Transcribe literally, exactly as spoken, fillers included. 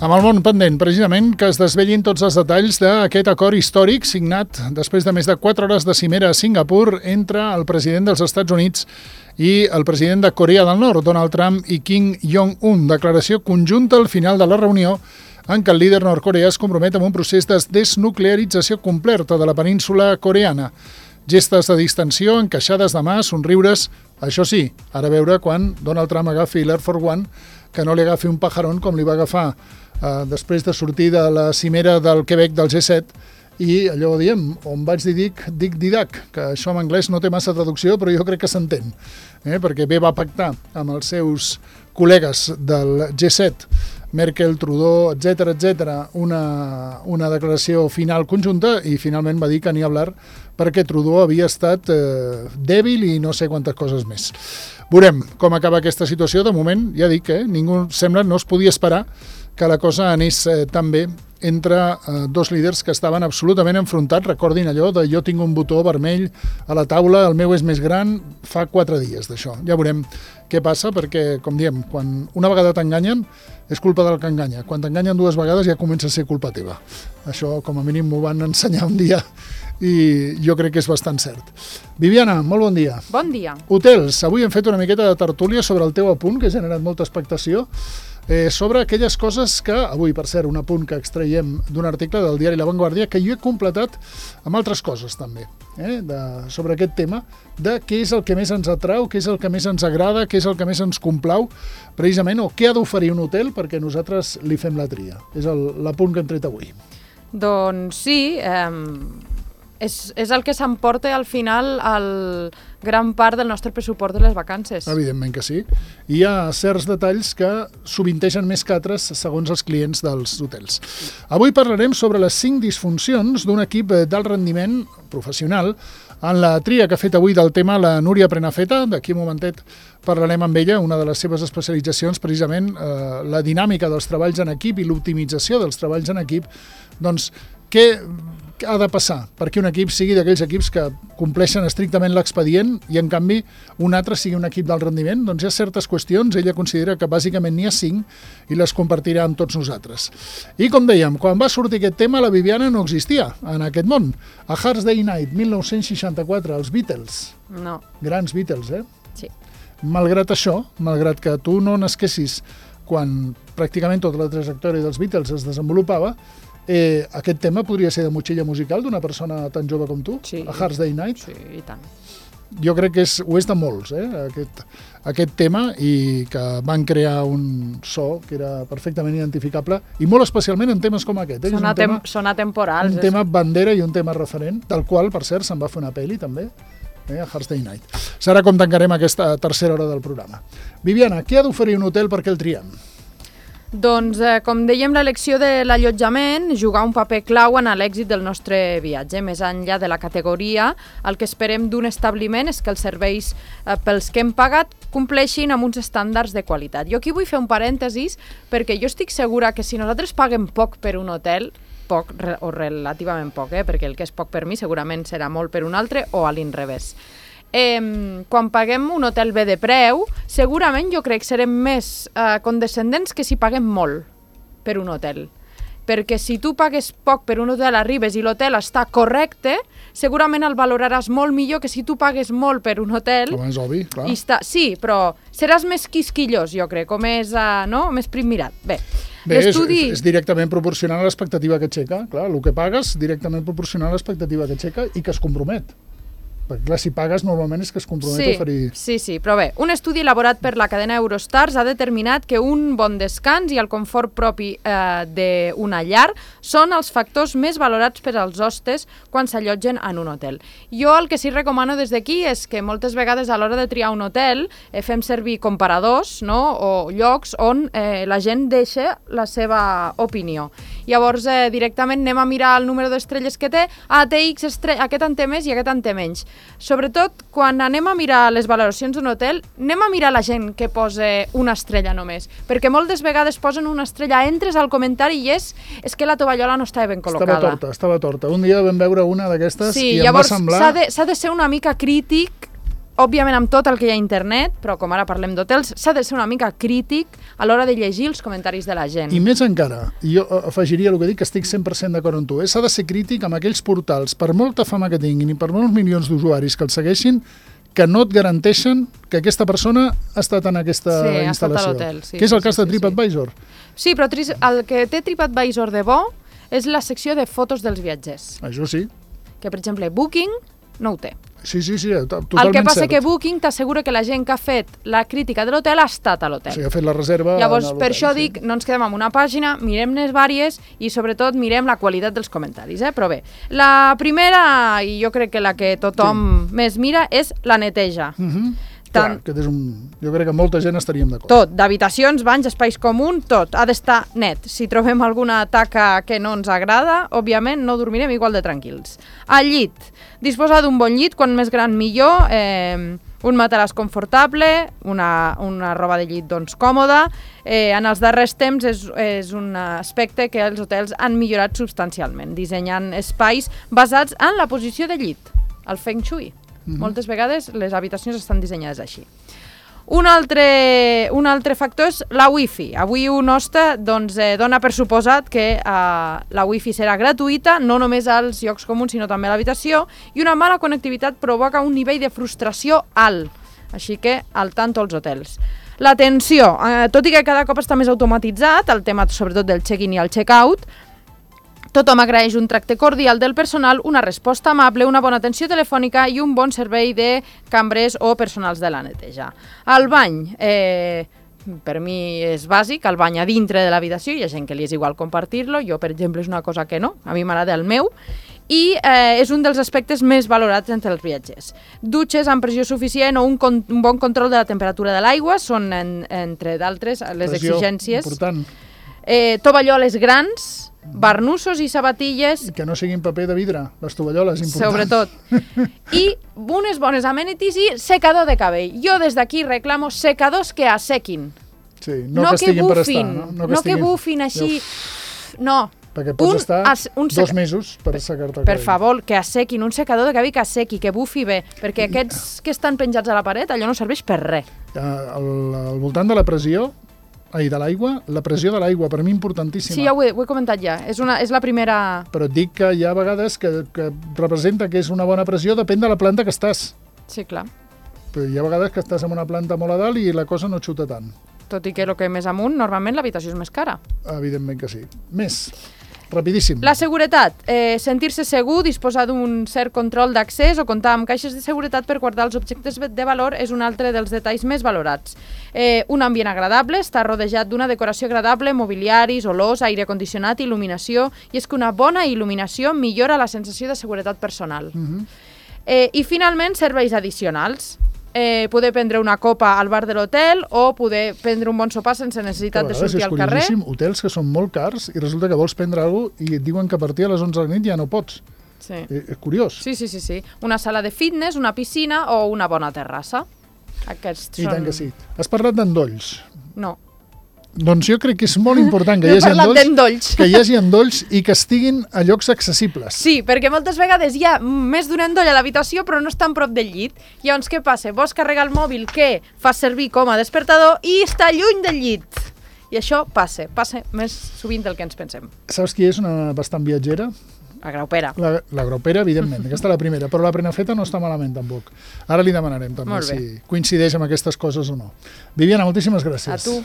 Amb el món pendent, precisament, que es desvellin tots els detalls d'aquest acord històric signat després de més de quatre hores de cimera a Singapur entre el president dels Estats Units i el president de Corea del Nord, Donald Trump i Kim Jong-un. Declaració conjunta al final de la reunió en què el líder nord-coreà es compromet amb un procés de desnuclearització completa de la península coreana. Gestes de distensió, encaixades de mà, somriures. Això sí, ara veure quan Donald Trump agafi l'Air Force One, que no li agafi un pajarón com li va agafar eh, després de sortir de la cimera del Quebec del G set, i allò diem, on vaig dir dic, dic didac, que això en anglès no té massa traducció, però jo crec que s'entén, eh? perquè bé va pactar amb els seus col·legues del G set, Merkel, Trudeau, etcètera, etcètera, una, una declaració final conjunta, i finalment va dir que n'hi ha hablar perquè Trudeau havia estat eh, dèbil i no sé quantes coses més. Veurem com acaba aquesta situació. De moment, ja dic, eh, ningú sembla, no es podia esperar que la cosa anés eh, tan bé entre eh, dos líders que estaven absolutament enfrontats. Recordin allò de jo tinc un botó vermell a la taula, el meu és més gran, fa quatre dies d'això. Ja veurem què passa, perquè, com diem, quan una vegada t'enganyen, és culpa del que enganya. Quan t'enganyen dues vegades ja comença a ser culpa teva. Això, com a mínim, m'ho van ensenyar un dia i jo crec que és bastant cert. Viviana, molt bon dia. Bon dia. Hotels. Avui hem fet una miqueta de tertúlia sobre el teu apunt, que ha generat molta expectació, eh, sobre aquelles coses que, avui, per cert, un apunt que extraiem d'un article del diari La Vanguardia, que jo he completat amb altres coses, també, eh, de, sobre aquest tema, de què és el que més ens atrau, què és el que més ens agrada, què és el que més ens complau, precisament, o què ha d'oferir un hotel perquè nosaltres li fem la tria. És l'apunt que hem tret avui. Doncs sí, eh, és, és el que s'emporta al final el gran part del nostre pressupost de les vacances. Evidentment que sí. I hi ha certs detalls que sovintegen més que altres segons els clients dels hotels. Avui parlarem sobre les cinc disfuncions d'un equip d'alt rendiment professional. En la tria que ha fet avui del tema la Núria Prenafeta, d'aquí un momentet parlarem amb ella, una de les seves especialitzacions, precisament eh, la dinàmica dels treballs en equip i l'optimització dels treballs en equip. Doncs què ha de passar perquè un equip sigui d'aquells equips que compleixen estrictament l'expedient i, en canvi, un altre sigui un equip d'alt rendiment? Doncs hi ha certes qüestions, ella considera que bàsicament n'hi ha cinc i les compartirà amb tots nosaltres. I, com dèiem, quan va sortir aquest tema, la Viviana no existia en aquest món. A Hard Day's Night, mil nou-cents seixanta-quatre, els Beatles. No. Grans Beatles, eh? Sí. Malgrat això, malgrat que tu no nasquessis quan pràcticament tota la trajectòria dels Beatles es desenvolupava, Eh, aquest tema podria ser de motxilla musical d'una persona tan jove com tu, sí. A Hard Day's Night. Sí, i tant. Jo crec que és, ho és de molts, eh, aquest, aquest tema, i que van crear un so que era perfectament identificable, i molt especialment en temes com aquest. Eh? Són, un atem tema, són atemporals. Un és... tema bandera i un tema referent, del qual, per cert, se'n va fer una pel·li també, eh, a Hard Day's Night. Serà com tancarem aquesta tercera hora del programa. Viviana, què ha d'oferir un hotel perquè el triem? Doncs, eh, com dèiem, l'elecció de l'allotjament juga un paper clau en l'èxit del nostre viatge. Més enllà de la categoria, el que esperem d'un establiment és que els serveis eh, pels que hem pagat compleixin amb uns estàndards de qualitat. Jo aquí vull fer un parèntesis perquè jo estic segura que si nosaltres paguem poc per un hotel, poc o relativament poc, eh, perquè el que és poc per mi segurament serà molt per un altre o a l'inrevés. Eh, quan paguem un hotel bé de preu, segurament jo crec que serem més eh, condescendents que si paguem molt per un hotel. Perquè si tu pagues poc per un hotel, arribes i l'hotel està correcte, segurament el valoraràs molt millor que si tu pagues molt per un hotel. Com és obvi, clar. I està, sí, però seràs més quisquillós, jo crec, o més, uh, no? més primmirat. Bé, Bé és, és directament proporcional a l'expectativa que aixeca. Clar, el que pagues directament proporcional a l'expectativa que aixeca i que es compromet. Perquè, clar, si pagues, normalment és que es compromet sí, a oferir... Sí, sí, però bé, un estudi elaborat per la cadena Eurostars ha determinat que un bon descans i el confort propi eh, d'una llar són els factors més valorats per als hostes quan s'allotgen en un hotel. Jo el que sí recomano des d'aquí és que moltes vegades a l'hora de triar un hotel eh, fem servir comparadors, no?, o llocs on eh, la gent deixa la seva opinió. Llavors, eh, directament anem a mirar el número d'estrelles que té, ah, té X estrelles, aquest en té més i aquest en té menys. Sobretot, quan anem a mirar les valoracions d'un hotel, anem a mirar la gent que posa una estrella només, perquè moltes vegades posen una estrella, entres al comentari i és, és que la tovallola no estava ben col·locada. Estava torta, estava torta. Un dia vam veure una d'aquestes sí, i em va semblar... Sí, llavors s'ha de, s'ha de ser una mica crític òbviament amb tot el que hi ha a internet, però com ara parlem d'hotels, s'ha de ser una mica crític a l'hora de llegir els comentaris de la gent. I més encara, jo afegiria el que dic, que estic cent per cent d'acord amb tu, eh? S'ha de ser crític amb aquells portals, per molta fama que tinguin i per molts milions d'usuaris que els segueixin, que no et garanteixen que aquesta persona ha estat en aquesta sí, instal·lació. Ha estat a l'hotel, sí. Que és el sí, cas de sí, TripAdvisor. Sí, sí però el que té TripAdvisor de bo és la secció de fotos dels viatgers. Això sí. Que, per exemple, Booking no ho té. Sí, sí, sí, totalment cert. El que passa cert. que Booking t'assegura que la gent que ha fet la crítica de l'hotel ha estat a l'hotel. O sigui, ha fet la reserva. Llavors, per això sí. dic, no ens quedem amb una pàgina, mirem-ne vàries i sobretot mirem la qualitat dels comentaris. Eh? Però bé, la primera, i jo crec que la que tothom sí. més mira, és la neteja. Uh -huh. Tant, Clar, que és un... Jo crec que molta gent estaríem d'acord. Tot, d'habitacions, banys, espais comuns, tot. Ha d'estar net. Si trobem alguna taca que no ens agrada, òbviament no dormirem igual de tranquils. Al llit. Disposar d'un bon llit, quan més gran millor, eh, un matalàs confortable, una, una roba de llit doncs, còmoda. Eh, en els darrers temps és, és un aspecte que els hotels han millorat substancialment, dissenyant espais basats en la posició de llit, el Feng Shui. Mm-hmm. Moltes vegades les habitacions estan dissenyades així. Un altre, un altre factor és la wifi. Avui un hoste doncs, eh, dona per suposat que eh, la wifi serà gratuïta, no només als llocs comuns sinó també a l'habitació, i una mala connectivitat provoca un nivell de frustració alt. Així que al tanto als hotels. L'atenció, eh, tot i que cada cop està més automatitzat, el tema sobretot del check-in i el check-out, tothom agraeix un tracte cordial del personal, una resposta amable, una bona atenció telefònica i un bon servei de cambrers o personals de la neteja. El bany, eh, per mi és bàsic, el bany a dintre de l'habitació, hi ha gent que li és igual compartir-lo, jo per exemple és una cosa que no, a mi m'agrada el meu, i eh, és un dels aspectes més valorats entre els viatgers. Dutxes amb pressió suficient o un, con un bon control de la temperatura de l'aigua són, en, entre d'altres, les pressió, exigències. Important. Eh, tovalloles grans, barnussos i sabatilles. Que no siguin paper de vidre, les tovalloles, important. Sobretot. I unes bones amenities i secador de cabell. Jo des d'aquí reclamo secadors que assequin. Sí, no, no que estiguin bufin, per estar. No, no, que, no que bufin així. No. Perquè pots un, estar as, un dos mesos per assecar-te el Per cabell. favor, que assequin, un secador de cabell que assequi, que bufi bé, perquè aquests que estan penjats a la paret, allò no serveix per res. Al, al voltant de la pressió, ai, de l'aigua, la pressió de l'aigua, per mi importantíssima. Sí, ja ho he, ho he comentat ja, és, una, és la primera... Però et dic que hi ha vegades que, que representa que és una bona pressió, depèn de la planta que estàs. Sí, clar. Però hi ha vegades que estàs en una planta molt a dalt i la cosa no xuta tant. Tot i que el que més amunt, normalment l'habitació és més cara. Evidentment que sí. Més, rapidíssim. La seguretat, eh, sentir-se segur, disposar d'un cert control d'accés o comptar amb caixes de seguretat per guardar els objectes de valor és un altre dels detalls més valorats. Eh, un ambient agradable, està rodejat d'una decoració agradable, mobiliaris, olors, aire condicionat, il·luminació, i és que una bona il·luminació millora la sensació de seguretat personal. Uh-huh. eh, I finalment, serveis addicionals. Eh, poder prendre una copa al bar de l'hotel o poder prendre un bon sopar sense necessitat de sortir al carrer. És hotels que són molt cars i resulta que vols prendre alguna cosa i et diuen que a partir de les onze de la nit ja no pots. Sí. Eh, és curiós. Sí, sí, sí, sí. Una sala de fitness, una piscina o una bona terrassa. Aquests I són... tant que sí. Has parlat d'endolls. No. Doncs jo crec que és molt important que, No hi he hagi parlat endolls, d'endolls. que hi hagi endolls i que estiguin a llocs accessibles. Sí, perquè moltes vegades hi ha més d'un endoll a l'habitació però no estan prop del llit. Llavors què passa? Vols carregar el mòbil que fas servir com a despertador i està lluny del llit. I això passa, passa més sovint del que ens pensem. Saps qui és una bastant viatgera? La graupera. La, la graupera, evidentment, aquesta és la primera, però la prenafeta no està malament tampoc. Ara li demanarem també si coincideix amb aquestes coses o no. Viviana, moltíssimes gràcies. A tu.